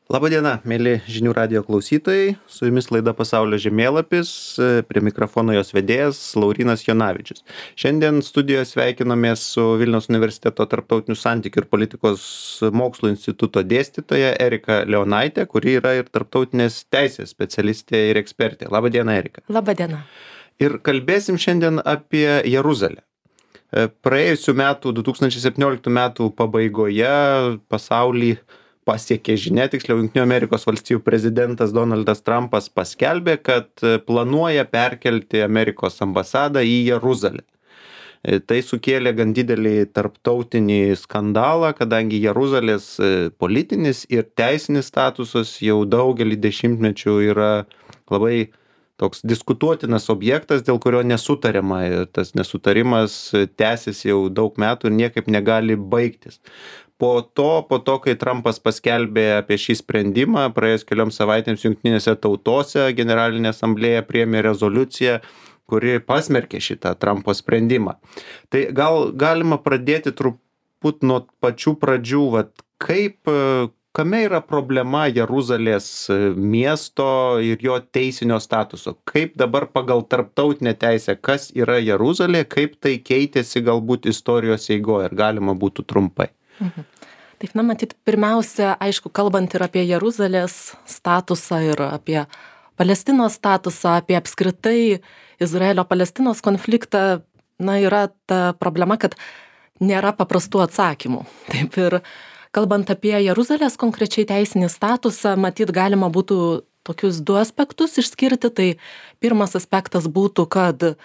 Labadiena, mėly žinių radijo klausytojai, su jumis laida Pasaulio žemėlapis, prie mikrofono jos vedėjas Laurynas Jonavičius. Šiandien studijoje sveikinomės su Vilniaus universiteto tarptautinių santykių ir politikos mokslų instituto dėstytoja Erika Leonaitė, kuri yra ir tarptautinės teisės specialistė ir ekspertė. Labadiena, Erika. Labadiena. Ir kalbėsim šiandien apie Jeruzalę. Praėjusių metų, 2017 metų pabaigoje pasaulį pasiekė žinia, tiksliau Jungtinių Amerikos valstijų prezidentas Donaldas Trumpas paskelbė, kad planuoja perkelti Amerikos ambasadą į Jeruzalę. Tai sukėlė gan didelį tarptautinį skandalą, kadangi Jeruzalės politinis ir teisinis statusas jau daugelį dešimtmečių yra labai toks diskutuotinas objektas, dėl kurio nesutariama. Ir tas nesutarimas tęsiasi jau daug metų ir niekaip negali baigtis. Po to, kai Trumpas paskelbė apie šį sprendimą, praėjus kelioms savaitėms Jungtinėse tautose Generalinė asamblėja priėmė rezoliuciją, kuri pasmerkė šitą Trumpo sprendimą. Tai gal galima pradėti truput nuo pačių pradžių, kame yra problema Jeruzalės miesto ir jo teisinio statuso? Kaip dabar pagal tarptautinę teisę, kas yra Jeruzalė, kaip tai keitėsi galbūt istorijos eigoje, ar galima būtų trumpai? Taip, matyt, pirmiausia, aišku, kalbant ir apie Jeruzalės statusą ir apie Palestinos statusą, apie apskritai Izraelio-Palestinos konfliktą, yra ta problema, kad nėra paprastų atsakymų. Taip, ir kalbant apie Jeruzalės konkrečiai teisinį statusą, matyt, galima būtų tokius du aspektus išskirti. Tai pirmas aspektas būtų, kad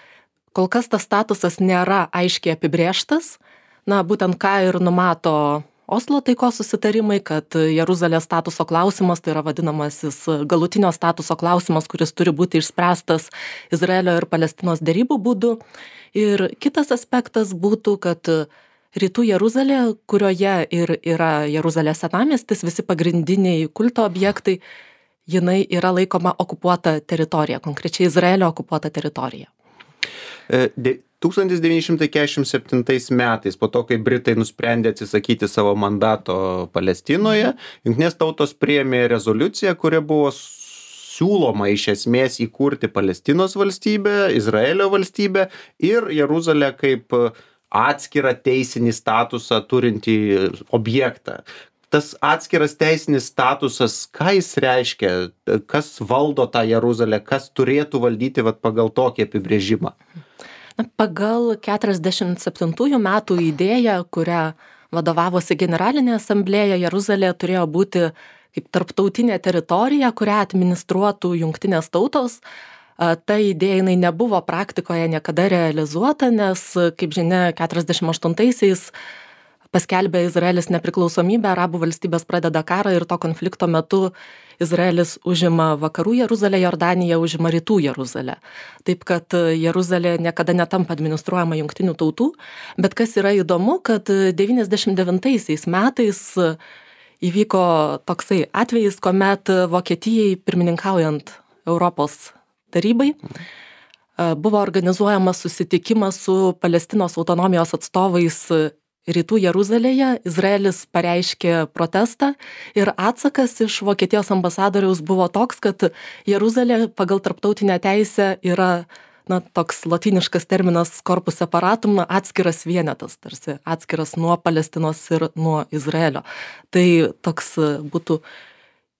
kol kas tas statusas nėra aiškiai apibrėžtas. Būtent ką ir numato Oslo taikos susitarimai, kad Jeruzalės statuso klausimas, tai yra vadinamasis galutinio statuso klausimas, kuris turi būti išspręstas Izraelio ir Palestinos derybų būdu. Ir kitas aspektas būtų, kad rytų Jeruzalė, kurioje ir yra Jeruzalės senamiestis, visi pagrindiniai kulto objektai, jinai yra laikoma okupuota teritorija, konkrečiai Izraelio okupuota teritorija. 1947 metais, po to, kai Britai nusprendė atsisakyti savo mandato Palestinoje, Jungtinės tautos priėmė rezoliuciją, kuria buvo siūloma iš esmės įkurti Palestinos valstybę, Izraelio valstybę ir Jeruzalę kaip atskirą teisinį statusą turintį objektą. Tas atskiras teisinis statusas, ką jis reiškia, kas valdo tą Jeruzalę, kas turėtų valdyti pagal tokį apibrėžimą? Pagal 47 metų idėją, kurią vadovavosi Generalinė asamblėja, Jeruzalė turėjo būti kaip tarptautinė teritorija, kurią administruotų Jungtinės tautos. Ta idėja nebuvo praktikoje niekada realizuota, nes, kaip žinia, 48-aisiais paskelbė Izraelis nepriklausomybę, arabų valstybės pradeda karą ir to konflikto metu Izraelis užima vakarų Jeruzalę, Jordanija užima rytų Jeruzalę. Taip, kad Jeruzalė niekada netampa administruojama Jungtinių tautų, bet kas yra įdomu, kad 99 metais įvyko toksai atvejis, kuomet Vokietijai pirmininkaujant Europos tarybai buvo organizuojamas susitikimas su Palestinos autonomijos atstovais rytų Jeruzalėje. Izraelis pareiškė protestą ir atsakas iš Vokietijos ambasadoriaus buvo toks, kad Jeruzalė pagal tarptautinę teisę yra toks lotyniškas terminas corpus separatum, atskiras vienetas, tarsi atskiras nuo Palestinos ir nuo Izraelio. Tai toks būtų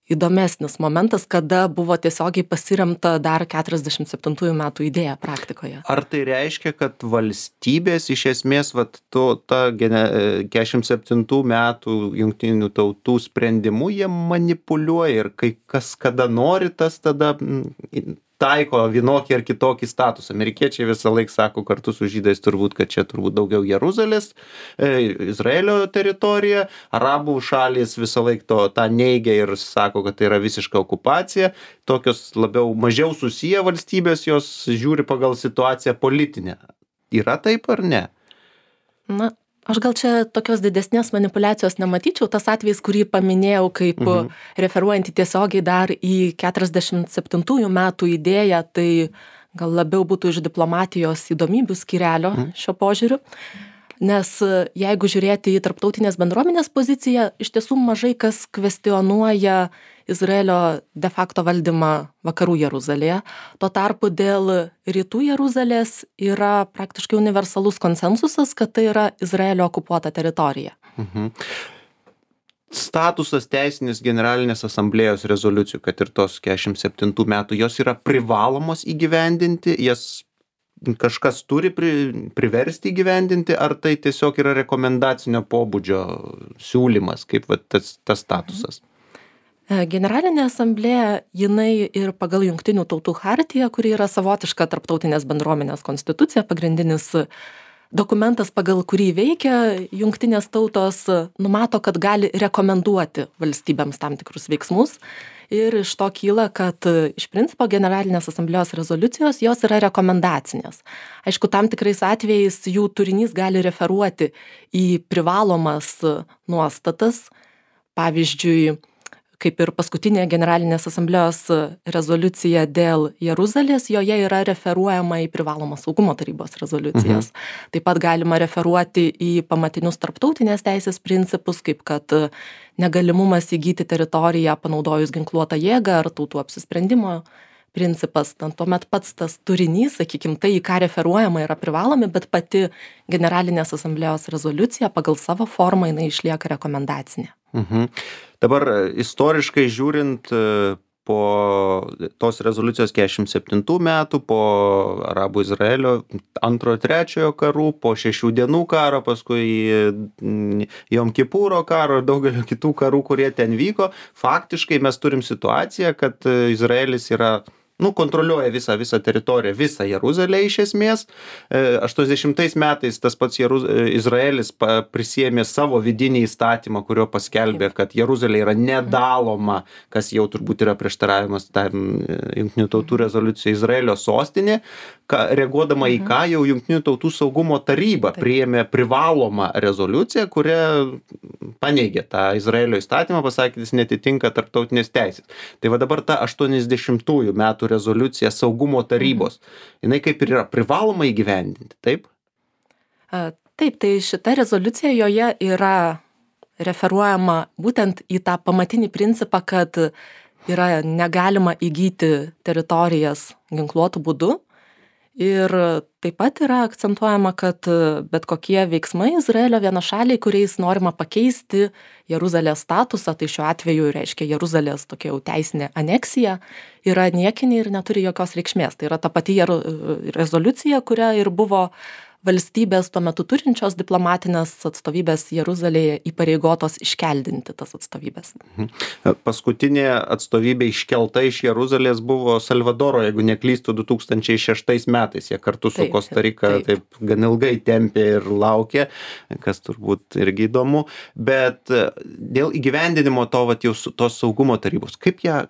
įdomesnis momentas, kada buvo tiesiogiai pasiremta dar 47 metų idėja praktikoje. Ar tai reiškia, kad valstybės iš esmės ta 47 metų Jungtinių tautų sprendimu jie manipuliuoja ir kai kas kada nori, tas tada taiko vienokį ar kitokį statusą. Amerikiečiai visą laiką sako kartu su žydais turbūt, kad čia turbūt daugiau Jeruzalės, Izraelio teritorija, arabų šalys visą laiką tą neigia ir sako, kad tai yra visiška okupacija. Tokios mažiau susiję valstybės, jos žiūri pagal situaciją politinę. Yra taip ar ne? Aš gal čia tokios didesnės manipulacijos nematyčiau. Tas atvejis, kurį paminėjau kaip referuojantį tiesiogiai dar į 47 metų idėją, tai gal labiau būtų iš diplomatijos įdomybių skyrelio šio požiūriu. Nes jeigu žiūrėti į tarptautinės bendruomenės poziciją, iš tiesų mažai kas kvestionuoja Izraelio de facto valdymą vakarų Jeruzalėje. Tuo tarpu dėl rytų Jeruzalės yra praktiškai universalus konsensusas, kad tai yra Izraelio okupuota teritorija. Statusas teisinis Generalinės asamblėjos rezoliucijų, kad ir tos 47 metų, jos yra privalomos įgyvendinti, jas kažkas turi priversti įgyvendinti, ar tai tiesiog yra rekomendacinio pobūdžio siūlymas, kaip tas statusas? Generalinė asamblėja, jinai ir pagal Jungtinių tautų chartiją, kuri yra savotiška tarptautinės bendruomenės konstitucija, pagrindinis dokumentas, pagal kurį veikia Jungtinės tautos, numato, kad gali rekomenduoti valstybėms tam tikrus veiksmus. Ir iš to kyla, kad iš principo Generalinės asamblėjos rezoliucijos jos yra rekomendacinės. Aišku, tam tikrais atvejais jų turinys gali referuoti į privalomas nuostatas. Pavyzdžiui, kaip ir paskutinė Generalinės asamblėjos rezoliucija dėl Jeruzalės, joje yra referuojama į privalomą saugumo tarybos rezoliucijas. Taip pat galima referuoti į pamatinius tarptautinės teisės principus, kaip kad negalimumas įgyti teritoriją panaudojus ginkluotą jėgą ar tautų apsisprendimo principas. Tuomet pats tas turinys, sakykim, tai, į ką referuojama, yra privalomi, bet pati Generalinės asamblėjos rezoliucija pagal savo formą jinai išlieka rekomendacinė. Dabar istoriškai žiūrint, po tos rezoliucijos 47 metų, po Arabų Izraelio antrojo, trečiojo karų, po 6 dienų karo, paskui Jom Kipuro karo ir daugelio kitų karų, kurie ten vyko, faktiškai mes turim situaciją, kad Izraelis yra kontroliuoja visą teritoriją, visą Jeruzalę iš esmės. 80 metais tas pats Izraelis prisiėmė savo vidinį įstatymą, kurio paskelbė, kad Jeruzalė yra nedaloma, kas jau turbūt yra prieštaravimas Jungtinių tautų rezoliucijai Izraelio sostinė, reaguodama į ką jau Jungtinių tautų saugumo taryba priėmė privalomą rezoliuciją, kuria paneigė tą Izraelio įstatymą, pasakė, jis netitinka tarptautinės teisės. Tai va dabar ta 80-ųjų metų rezoliucija saugumo tarybos, jinai kaip ir yra privaloma įgyvendinti, taip? Taip, tai šita rezoliucija joje yra referuojama būtent į tą pamatinį principą, kad yra negalima įgyti teritorijas ginkluotų būdų. Ir taip pat yra akcentuojama, kad bet kokie veiksmai Izraelio vienašaliai, kuriais norima pakeisti Jeruzalės statusą, tai šiuo atveju reiškia Jeruzalės tokia jau teisinė aneksija, yra niekiniai ir neturi jokios reikšmės. Tai yra ta pati rezoliucija, kuria ir buvo valstybės tuo metu turinčios diplomatinės atstovybės Jeruzalėje įpareigotos iškeldinti tas atstovybės. Paskutinė atstovybė iškelta iš Jeruzalės buvo Salvadoro, jeigu neklystu, 2006 metais. Jie kartu su Kosta Rika taip gan ilgai tempė ir laukė, kas turbūt irgi įdomu. Bet dėl įgyvendinimo tos saugumo tarybos, kaip ją,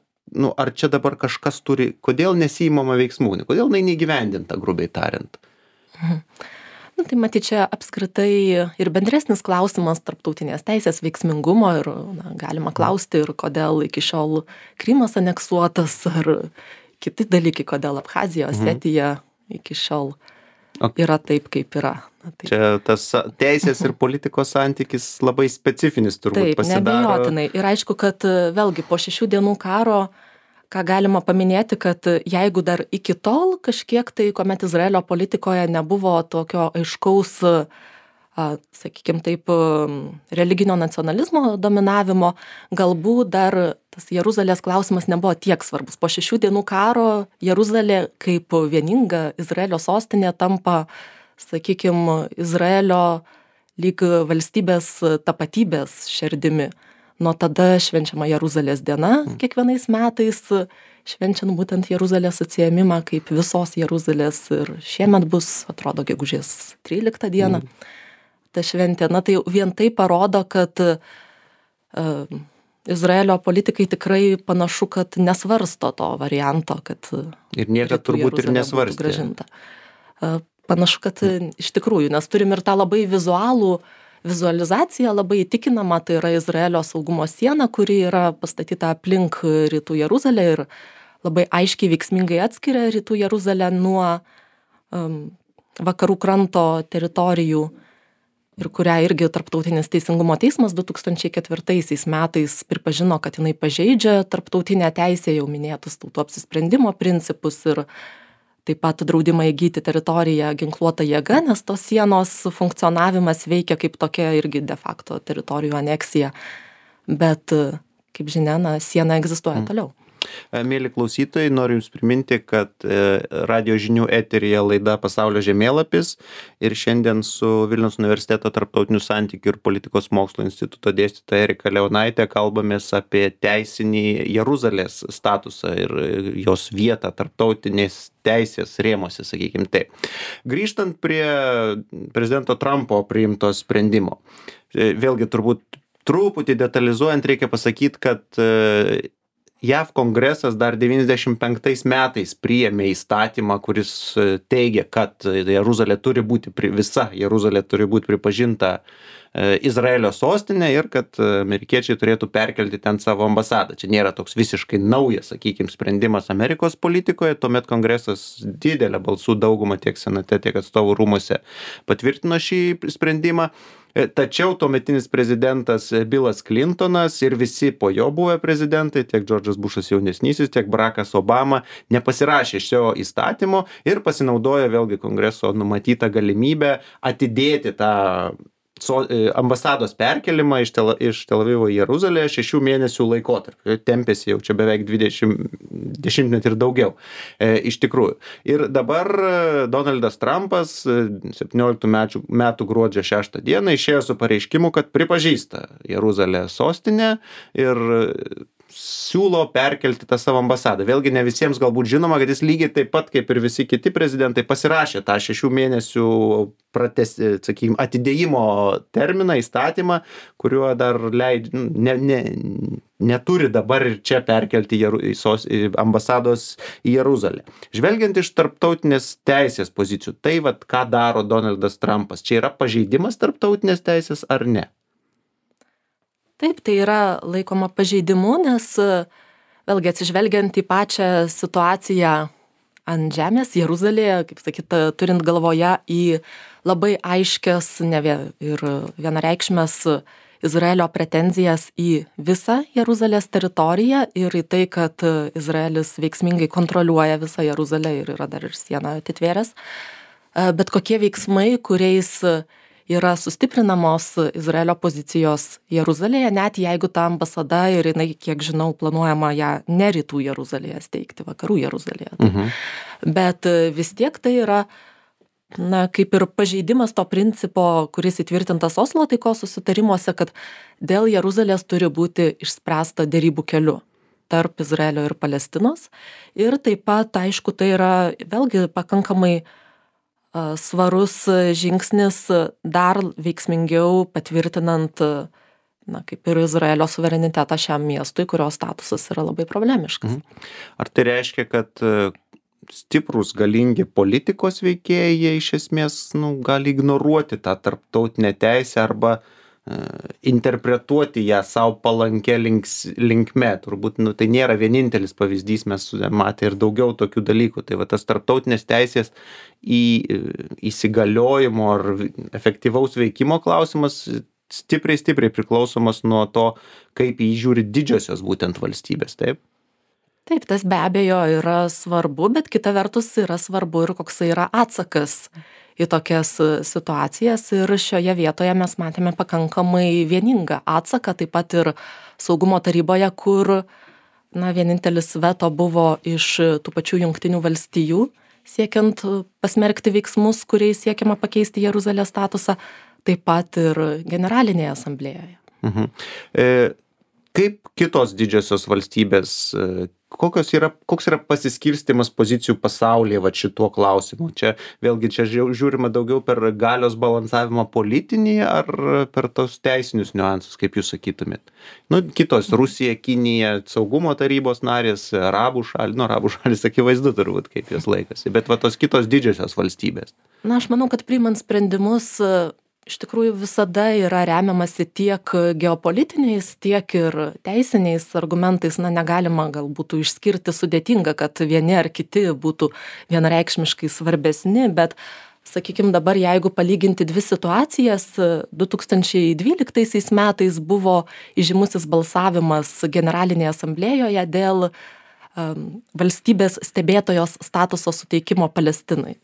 ar čia dabar kažkas turi, kodėl nesiimama veiksmų, kodėl neįgyvendinta, grubiai tariant? Tai matyt, čia apskritai ir bendresnis klausimas tarptautinės teisės veiksmingumo ir galima klausti ir kodėl iki šiol Krymas aneksuotas ar kiti dalykai, kodėl Abchazija, Osetija iki šiol yra taip, kaip yra. Čia tas teisės ir politikos santykis labai specifinis turbūt pasidaro. Taip, neabejotinai. Ir aišku, kad vėlgi po 6 dienų karo ką galima paminėti, kad jeigu dar iki tol kažkiek tai, kuomet Izraelio politikoje nebuvo tokio aiškaus, sakykime taip, religinio nacionalizmo dominavimo, galbūt dar tas Jeruzalės klausimas nebuvo tiek svarbus. Po 6 dienų karo Jeruzalė kaip vieninga Izraelio sostinė tampa, sakykime, Izraelio lyg valstybės tapatybės šerdimi. Nuo tada švenčiama Jeruzalės diena kiekvienais metais, švenčiant būtent Jeruzalės atsiėmimą kaip visos Jeruzalės ir šiemet bus, atrodo, gegužės 13 dieną ta šventė. Tai vien tai parodo, kad Izraelio politikai tikrai panašu, kad nesvarsto to varianto, kad ir niekad turbūt ir nesvarstė. Panašu, kad iš tikrųjų, nes turim ir tą labai vizualizacija labai įtikinama, tai yra Izraelio saugumo siena, kuri yra pastatyta aplink rytų Jeruzalę ir labai aiškiai veiksmingai atskiria rytų Jeruzalę nuo vakarų kranto teritorijų. ir kurią irgi Tarptautinis teisingumo teismas 2004 metais pripažino, kad jinai pažeidžia tarptautinę teisę, jau minėtus tautų apsisprendimo principus ir taip pat draudimą įgyti teritoriją ginkluota jėga, nes tos sienos funkcionavimas veikia kaip tokia irgi de facto teritorijų aneksija. Bet, kaip žinia, siena egzistuoja toliau. Mėly klausytojai, noriu Jums priminti, kad radio žinių eteryje laida Pasaulio žemėlapis ir šiandien su Vilniaus universiteto tarptautinių santykių ir politikos mokslo instituto dėstytoja Erika Leonaitė kalbamės apie teisinį Jeruzalės statusą ir jos vietą tarptautinės teisės rėmose, sakykime taip. Grįžtant prie prezidento Trumpo priimto sprendimo, vėlgi turbūt truputį detalizuojant reikia pasakyti, kad JAV kongresas dar 95 metais priėmė įstatymą, kuris teigia, kad visa Jeruzalė turi būti pripažinta Izraelio sostinė ir kad amerikiečiai turėtų perkelti ten savo ambasadą. Čia nėra toks visiškai naujas, sakykime, sprendimas Amerikos politikoje, tuomet kongresas didelę balsų daugumą tiek senate, tiek atstovų rūmuose patvirtino šį sprendimą. Tačiau tuometinis prezidentas Bilas Clintonas ir visi po jo buvę prezidentai, tiek Džordžas Bušas jaunesnysis, tiek Barackas Obama, nepasirašė šio įstatymo ir pasinaudojo vėlgi kongreso numatytą galimybę atidėti tą ambasados perkelimą iš Tel Avivo į Jeruzalę 6 mėnesių laikotarpį. Tempėsi jau čia beveik 20 ir daugiau, iš tikrųjų. Ir dabar Donaldas Trumpas 17 metų gruodžio 6 dieną išėjo su pareiškimu, kad pripažįsta Jeruzalę sostinę ir siūlo perkelti tą savo ambasadą. Vėlgi ne visiems galbūt žinoma, kad jis lygiai taip pat kaip ir visi kiti prezidentai pasirašė tą 6 mėnesių atidėjimo terminą, įstatymą, kuriuo dar neturi dabar ir čia perkelti ambasados į Jeruzalę. Žvelgiant iš tarptautinės teisės pozicijų, tai ką daro Donaldas Trumpas? Čia yra pažeidimas tarptautinės teisės ar ne? Taip, tai yra laikoma pažeidimu, nes vėlgi atsižvelgiant į pačią situaciją ant žemės Jeruzalėje, kaip sakyta, turint galvoje į labai aiškias ir vienareikšmes Izraelio pretenzijas į visą Jeruzalės teritoriją ir į tai, kad Izraelis veiksmingai kontroliuoja visą Jeruzalę ir yra dar ir sieną atitvėręs. Bet kokie veiksmai, kuriais yra sustiprinamos Izraelio pozicijos Jeruzalėje, net jeigu ta ambasada ir jinai, kiek žinau, planuojama ją ne rytų Jeruzalėje steigti, vakarų Jeruzalėje. Bet vis tiek tai yra, kaip ir pažeidimas to principo, kuris įtvirtintas Oslo taikos susitarimuose, kad dėl Jeruzalės turi būti išspręsta derybų keliu tarp Izraelio ir Palestinos. Ir taip pat, aišku, tai yra vėlgi pakankamai svarus žingsnis dar veiksmingiau patvirtinant, kaip ir Izraelio suverenitetą šiam miestui, kurio statusas yra labai problemiškas. Ar tai reiškia, kad stiprus, galingi politikos veikėjai iš esmės gali ignoruoti tą tarptautinę teisę arba interpretuoti ją savo palankę linkme? Turbūt tai nėra vienintelis pavyzdys, mes matė ir daugiau tokių dalykų. Tai tas tarptautinės teisės įsigaliojimo ar efektyvaus veikimo klausimas stipriai priklausomas nuo to, kaip jį žiūri didžiosios būtent valstybės, taip? Taip, tas be abejo yra svarbu, bet kita vertus yra svarbu ir koksai yra atsakas į tokias situacijas ir šioje vietoje mes matėme pakankamai vieningą atsaką, taip pat ir saugumo taryboje, kur vienintelis veto buvo iš tų pačių Jungtinių valstijų, siekiant pasmerkti veiksmus, kuriais siekiama pakeisti Jeruzalės statusą, taip pat ir Generalinėje asamblėjoje. Kaip kitos didžiosios valstybės, koks yra pasiskirstymas pozicijų pasaulyje šituo klausimu? Čia žiūrima daugiau per galios balansavimą politinį ar per tos teisinius niuansus, kaip jūs sakytumėt? Kitos, Rusija, Kinija, saugumo tarybos narės, arabų šalys akivaizdu turbūt, kaip jos laikosi, bet tos kitos didžiosios valstybės. Aš manau, kad priimant sprendimus iš tikrųjų visada yra remiamasi tiek geopolitiniais, tiek ir teisiniais argumentais. Negalima gal būtų išskirti sudėtinga, kad vieni ar kiti būtų vienareikšmiškai svarbesni, bet sakykime, dabar jeigu palyginti dvi situacijas, 2012 metais buvo įžymusis balsavimas Generalinėje asamblėjoje dėl valstybės stebėtojos statuso suteikimo Palestinai.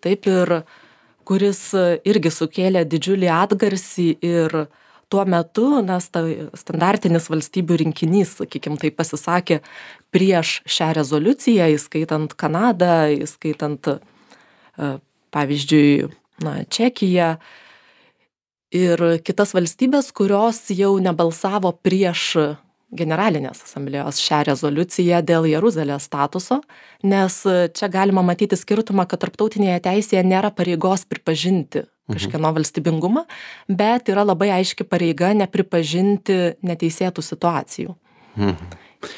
Taip, ir kuris irgi sukėlė didžiulį atgarsį ir tuo metu, nes standartinis valstybių rinkinys, sakykime, tai pasisakė prieš šią rezoliuciją, įskaitant Kanadą, įskaitant, pavyzdžiui, Čekiją ir kitas valstybės, kurios jau nebalsavo prieš Generalinės asamblėjos šią rezoliuciją dėl Jeruzalės statuso, nes čia galima matyti skirtumą, kad tarptautinėje teisėje nėra pareigos pripažinti kažkieno valstybingumą, bet yra labai aiški pareiga nepripažinti neteisėtų situacijų.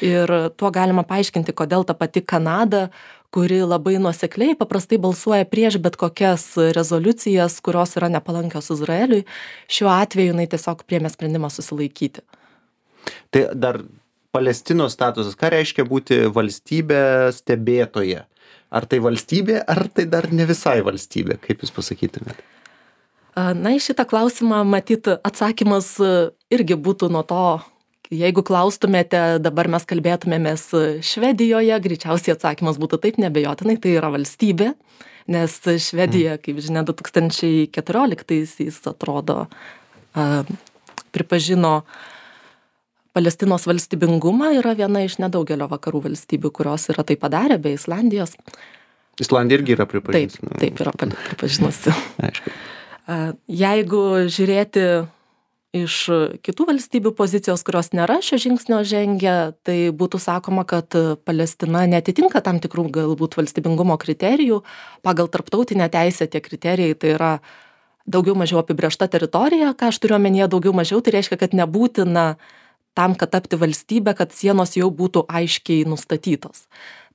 Ir tuo galima paaiškinti, kodėl ta pati Kanada, kuri labai nuosekliai paprastai balsuoja prieš bet kokias rezoliucijas, kurios yra nepalankios Izraeliui, šiuo atveju jinai tiesiog priėmė sprendimą susilaikyti. Tai dar Palestinos statusas, ką reiškia būti valstybė stebėtoje? Ar tai valstybė, ar tai dar ne visai valstybė? Kaip jūs pasakytumėte? Į šitą klausimą, matyt, atsakymas irgi būtų nuo to, jeigu klaustumėte, dabar mes kalbėtumėmės Švedijoje, greičiausiai atsakymas būtų taip, neabejotinai, tai yra valstybė, nes Švedija, kaip žinia, 2014-aisiais atrodo pripažino Palestinos valstybingumą, yra viena iš nedaugelio vakarų valstybių, kurios yra tai padarę, be Islandijos. Islandija irgi yra pripažinusi. Taip yra pripažinusi. Aišku. Jeigu žiūrėti iš kitų valstybių pozicijos, kurios nėra šio žingsnio žengę, tai būtų sakoma, kad Palestina netitinka tam tikrų galbūt valstybingumo kriterijų. Pagal tarptautinę teisę tie kriterijai tai yra daugiau mažiau apibrėžta teritorija, ką aš turiu omenyje daugiau mažiau, tai reiškia, kad nebūtina tam, kad tapti valstybę, kad sienos jau būtų aiškiai nustatytos.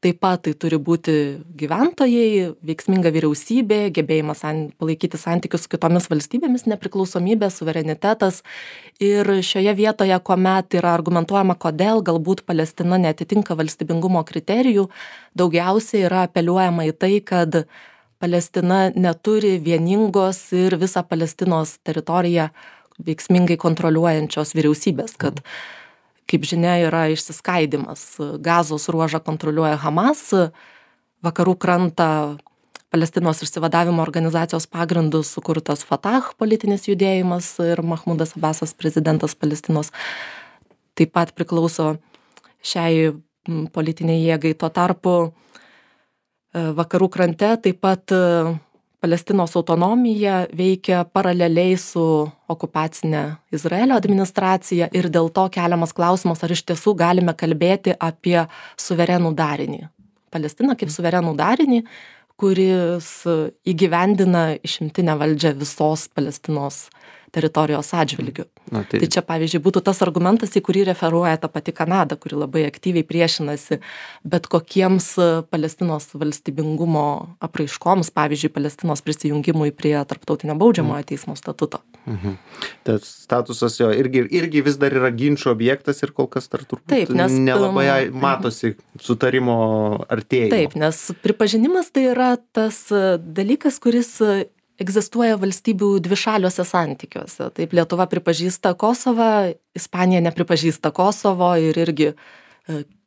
Taip pat tai turi būti gyventojai, veiksminga vyriausybė, gebėjimas palaikyti santykius su kitomis valstybėmis, nepriklausomybė, suverenitetas. Ir šioje vietoje, kuomet yra argumentuojama, kodėl galbūt Palestina neatitinka valstybingumo kriterijų, daugiausiai yra apeliuojama į tai, kad Palestina neturi vieningos ir visą Palestinos teritoriją veiksmingai kontroliuojančios vyriausybės, kad, kaip žinia, yra išsiskaidimas. Gazos ruožą kontroliuoja Hamas, vakarų krantą Palestinos išsivadavimo organizacijos pagrindų sukurtas Fatah politinis judėjimas ir Mahmudas Abbasas, prezidentas Palestinos, taip pat priklauso šiai politiniai jėgai. Tuo tarpu vakarų krante taip pat Palestinos autonomija veikia paraleliai su okupacinė Izraelio administracija ir dėl to keliamas klausimas, ar iš tiesų galime kalbėti apie suverenų darinį. Palestiną kaip suverenų darinį, kuris įgyvendina išimtinę valdžią visos Palestinos teritorijos atžvilgiu. Tai čia, pavyzdžiui, būtų tas argumentas, į kurį referuoja ta pati Kanada, kuri labai aktyviai priešinasi bet kokiems Palestinos valstybingumo apraiškoms, pavyzdžiui, Palestinos prisijungimui prie Tarptautinio baudžiamojo teismo statuto. Tas statusas jo irgi vis dar yra ginčo objektas ir kol kas dar turbūt nelabai matosi sutarimo artėjimo. Taip, nes pripažinimas tai yra tas dalykas, kuris egzistuoja valstybių dvišaliuose santykiuose. Taip, Lietuva pripažįsta Kosovą, Ispanija nepripažįsta Kosovo ir irgi,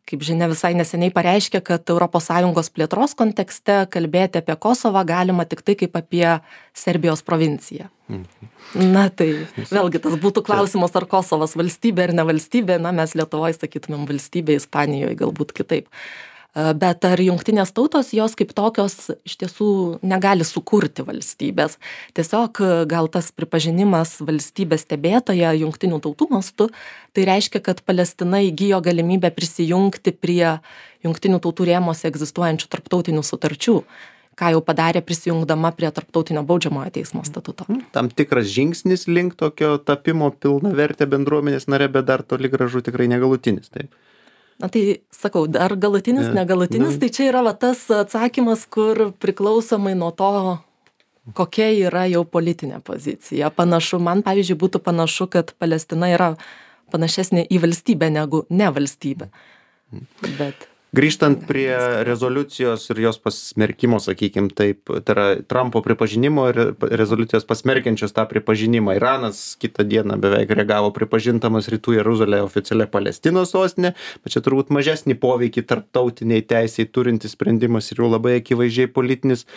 kaip žinia, visai neseniai pareiškė, kad ES plėtros kontekste kalbėti apie Kosovą galima tik tai kaip apie Serbijos provinciją. Na tai vėlgi tas būtų klausimas, ar Kosovas valstybė ar ne valstybė, mes Lietuvoje sakytumėm valstybė, Ispanijoje galbūt kitaip. Bet ar jungtinės tautos, jos kaip tokios iš tiesų negali sukurti valstybės. Tiesiog gal tas pripažinimas valstybės stebėtoje jungtinių tautų mastu, tai reiškia, kad Palestina įgijo galimybę prisijungti prie jungtinių tautų rėmuose egzistuojančių tarptautinių sutarčių, ką jau padarė prisijungdama prie Tarptautinio baudžiamojo teismo statuto. Tam tikras žingsnis link tokio tapimo pilnavertė bendruomenės nare, bet dar toli gražu tikrai negalutinis, taip. Na tai sakau, ar galutinis, negalutinis, tai čia yra tas atsakymas, kur priklausomai nuo to, kokia yra jau politinė pozicija. Panašu, man pavyzdžiui būtų panašu, kad Palestina yra panašesnė į valstybę negu ne valstybė. Grįžtant prie rezoliucijos ir jos pasmerkimo, sakykim, taip, tai yra Trumpo pripažinimo ir rezoliucijos pasmerkiančios tą pripažinimą. Iranas kitą dieną beveik reagavo pripažintamas Rytų Jeruzalė oficialia Palestinos sostinė, bet čia turbūt mažesnį poveikį tarptautiniai teisiai turintis sprendimas ir jau labai akivaizdžiai politinis.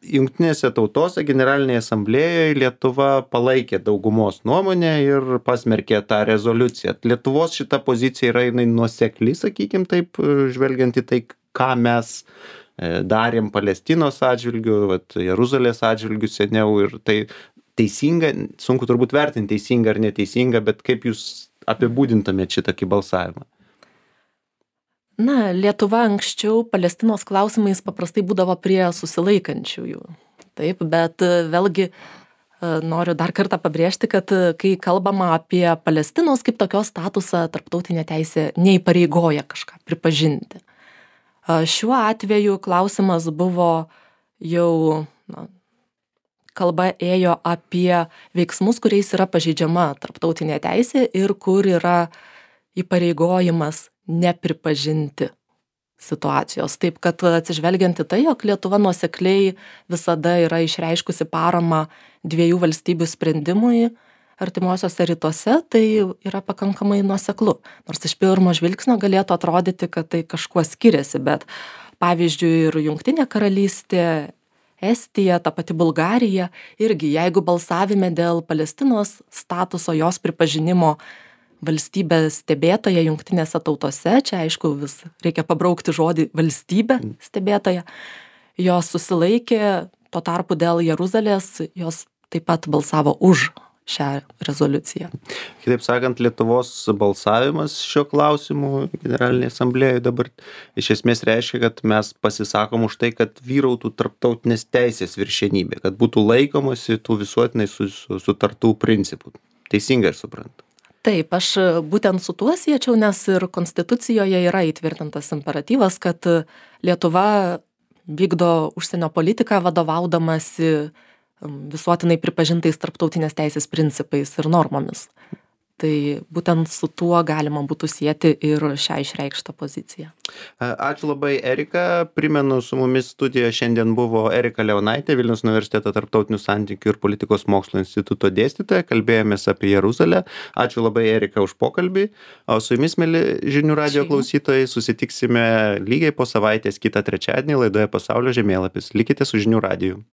Jungtinėse tautose generalinėje asamblėjoje Lietuva palaikė daugumos nuomonę ir pasmerkė tą rezoliuciją. Lietuvos šita pozicija yra jinai nuosekli, sakykim taip, žvelgiant į tai, ką mes darėm Palestinos atžvilgiu, Jeruzalės atžvilgiu seniau ir tai teisinga, sunku turbūt vertinti teisinga ar neteisinga, bet kaip jūs apibūdintumėte šitokį balsavimą? Na, Lietuva anksčiau Palestinos klausimais paprastai būdavo prie susilaikančiųjų. Taip, bet vėlgi noriu dar kartą pabrėžti, kad kai kalbama apie Palestinos kaip tokios statusą, tarptautinė teisė neįpareigoja kažką pripažinti. Šiuo atveju klausimas buvo jau, kalba ėjo apie veiksmus, kuriais yra pažeidžiama tarptautinė teisė ir kur yra įpareigojimas nepripažinti situacijos. Taip, kad atsižvelgiant į tai, jog Lietuva nuosekliai visada yra išreiškusi paramą dviejų valstybių sprendimui artimuosiuose rytuose, tai yra pakankamai nuoseklu. Nors iš pirmo žvilgsnio galėtų atrodyti, kad tai kažkuo skiriasi, bet pavyzdžiui ir Jungtinė karalystė, Estija, ta pati Bulgarija, irgi jeigu balsavime dėl Palestinos statuso jos pripažinimo valstybės stebėtoja Jungtinėse tautose, čia aišku vis reikia pabraukti žodį valstybė stebėtoja, jos susilaikė, tuo tarpu dėl Jeruzalės jos taip pat balsavo už šią rezoliuciją. Kitaip sakant, Lietuvos balsavimas šio klausimu generalinėje asamblėjoje dabar iš esmės reiškia, kad mes pasisakom už tai, kad vyrautų tarptautinės teisės viršenybė, kad būtų laikomasi tų visuotinai sutartų principų. Teisingai aš suprantu. Taip, aš būtent su tuo siečiau, nes ir Konstitucijoje yra įtvirtintas imperatyvas, kad Lietuva vykdo užsienio politiką vadovaudamasi visuotinai pripažintais tarptautinės teisės principais ir normomis. Tai būtent su tuo galima būtų sieti ir šią išreikštą poziciją. Ačiū labai, Erika. Primenu, su mumis studijoje šiandien buvo Erika Leonaitė, Vilniaus universiteto tarptautinių santykių ir politikos mokslo instituto dėstytoja. Kalbėjomės apie Jeruzalę. Ačiū labai, Erika, už pokalbį. O su jumis, mieli žinių radijo klausytojai, susitiksime lygiai po savaitės kitą trečiadienį laidoje Pasaulio žemėlapis. Likite su žinių radiju.